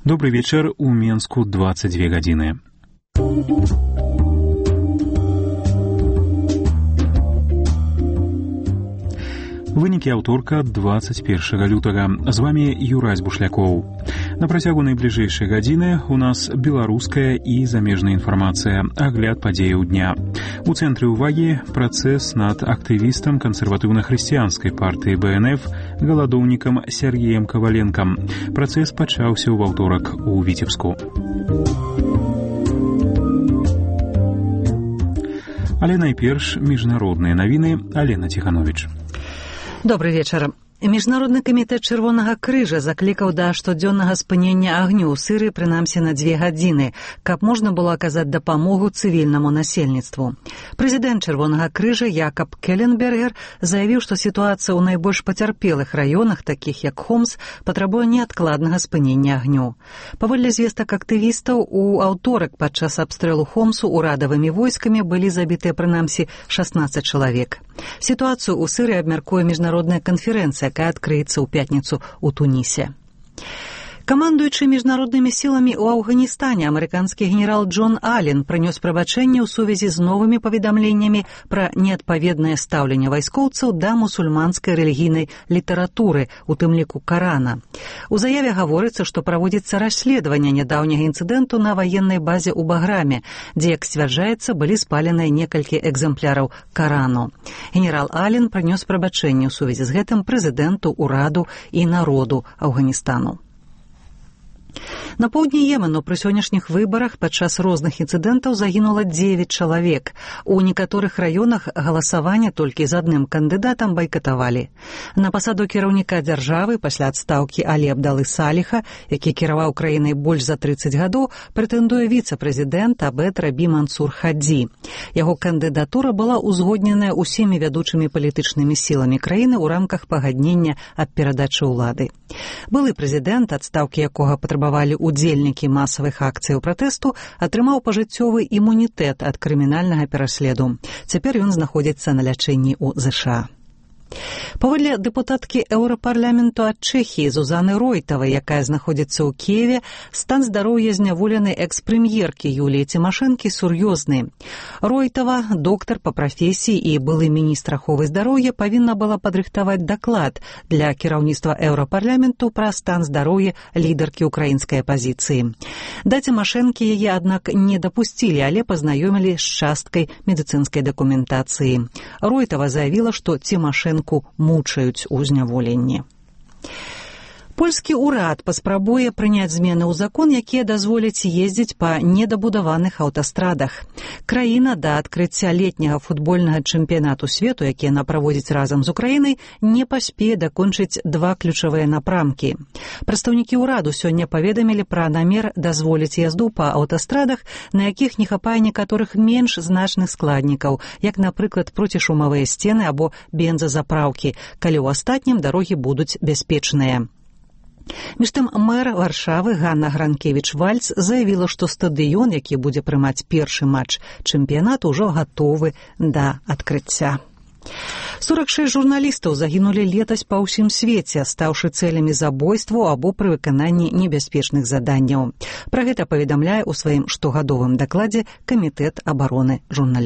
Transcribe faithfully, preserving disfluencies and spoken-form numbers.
Добрый вечер. У Менску двадцать две гадзіны. Вынікі аўторка двадцать первого лютага. З вами Юрась Бушлякоў. На працягу найбліжэйшай гадзіны у нас беларуская і замежная інфармацыя, агляд падзеяў дня. У цэнтры ўвагі працэс над актывістам кансерватыўна-хрысціянскай партыі бэ эн эф галадоўнікам Сергеем Коваленкам. Працэс пачаўся ў аўторак у Віцебску. Але найперш міжнародныя навіны. Алена Ціхановіч. Добрый вечар. Міжнародны камітэт Чырвонага крыжа заклікаў да штодзённага спынення агню ў Сірыі прынамсі на дзве гадзіны, каб можна было аказаць дапамогу цывільнаму насельніцтву. Прэзідэнт Чырвонага крыжа Якаб Келленбергер заявіў, што сітуацыя ў найбольш пацярпелых раёнах, такіх як Хомс, патрабуе неадкладнага спынення агню. Паводле звестак актывістаў, у аўторак падчас абстрэлу Хомсу урадавымі войскамі былі забітыя прынамсі шаснаццаць чалавек. Сітуацыю ў Сірыі абмяркуе міжнародная канферэнцыя, якая адкрыецца ў пятніцу ў Тунісе. Камандуючы міжнароднымі сіламі ў Афганістане амерыканскі генерал Джон Аллен прынёс прабачэнне ў сувязі з новымі паведамленнямі пра неадпаведнае стаўленне вайскоўцаў да мусульманскай рэлігійнай літаратуры, у тым ліку Карана. У заяве гаворыцца, што праводзіцца расследаванне нядаўняга інцыдэнту на ваеннай базе ў Баграме, дзе, як сцвярджаецца, былі спаленыя некалькі экземпляраў Карану. Генерал Аллен прынёс прабачэнне ў сувязі з гэтым прэзідэнту, ураду і народу Афганістану. На поўдні Йемену пры сённяшніх выбарах падчас розных інцыдэнтаў загінула дзевяць чалавек. У некаторых раёнах галасаванне толькі з адным кандыдатам байкатавалі. На пасаду кіраўніка дзяржавы пасля адстаўкі Алі Абдалы Саліха, які кіраваў краінай больш за трыццаць гадоў, прэтэндуе віцэ-прэзідэнт Абед Рабі Мансур Хадзі. Яго кандыдатура была ўзгодненая ўсімі вядучымі палітычнымі сіламі краіны ў рамках пагаднення аб перадачы ўлады. Былы прэзідэнт, адстаўкі якога патрабавалі удзельнікі масавых акцыяў пратэсту, атрымаў пажыццёвы імунітэт ад крымінальнага пераследу. Цяпер ён знаходзіцца на лячэнні ў ЗША. Паводле дэпутаткі Еўрапарламенту ад Чэхіі Зузаны Ройтавай, якая знаходзіцца ў Кіеве, стан здароўя зняволенай экс-прэм'еркі Юліі Цімашэнкі сур'ёзны. Ройтава, доктар па прафесіі і былы міністр аховы здароўя, павінна была падрыхтаваць даклад для кіраўніцтва Еўрапарламенту пра стан здароўя лідаркі ўкраінскай апазіцыі. Да Цімашэнкі яе, аднак, не дапусцілі, але пазнаёмілі з часткай медыцынскай дакументацыі. Ройтава заявіла, што Цімашэнку мучаюць у зняволенні. Польскі ўрад паспрабуе прыняць змены ў закон, якія дазволяць ездзіць па недабудаваных аўтастрадах. Краіна да адкрыцця летняга футбольнага чэмпіянату свету, які яна праводзіць разам з Украінай, не паспее дакончыць два ключавыя напрамкі. Прадстаўнікі ўраду сёння паведамілі пра намер дазволіць язду па аўтастрадах, на якіх не хапае некаторых менш значных складнікаў, як, напрыклад, процішумавыя сцены або бензазапраўкі, калі ў астатнім дарогі будуць бяспечныя. Між тым, мэр Варшавы Ганна Гранкевіч-Вальц заявіла, што стадыён, які будзе прымаць першы матч чэмпіянату, ўжо гатовы да адкрыцця. сорок шэсць журналістаў загінулі летась па ўсім свеце, стаўшы цэлямі забойстваў або пры выкананні небяспечных заданняў. Пра гэта паведамляе ў сваім штогадовым дакладзе Камітэт абароны журналістаў.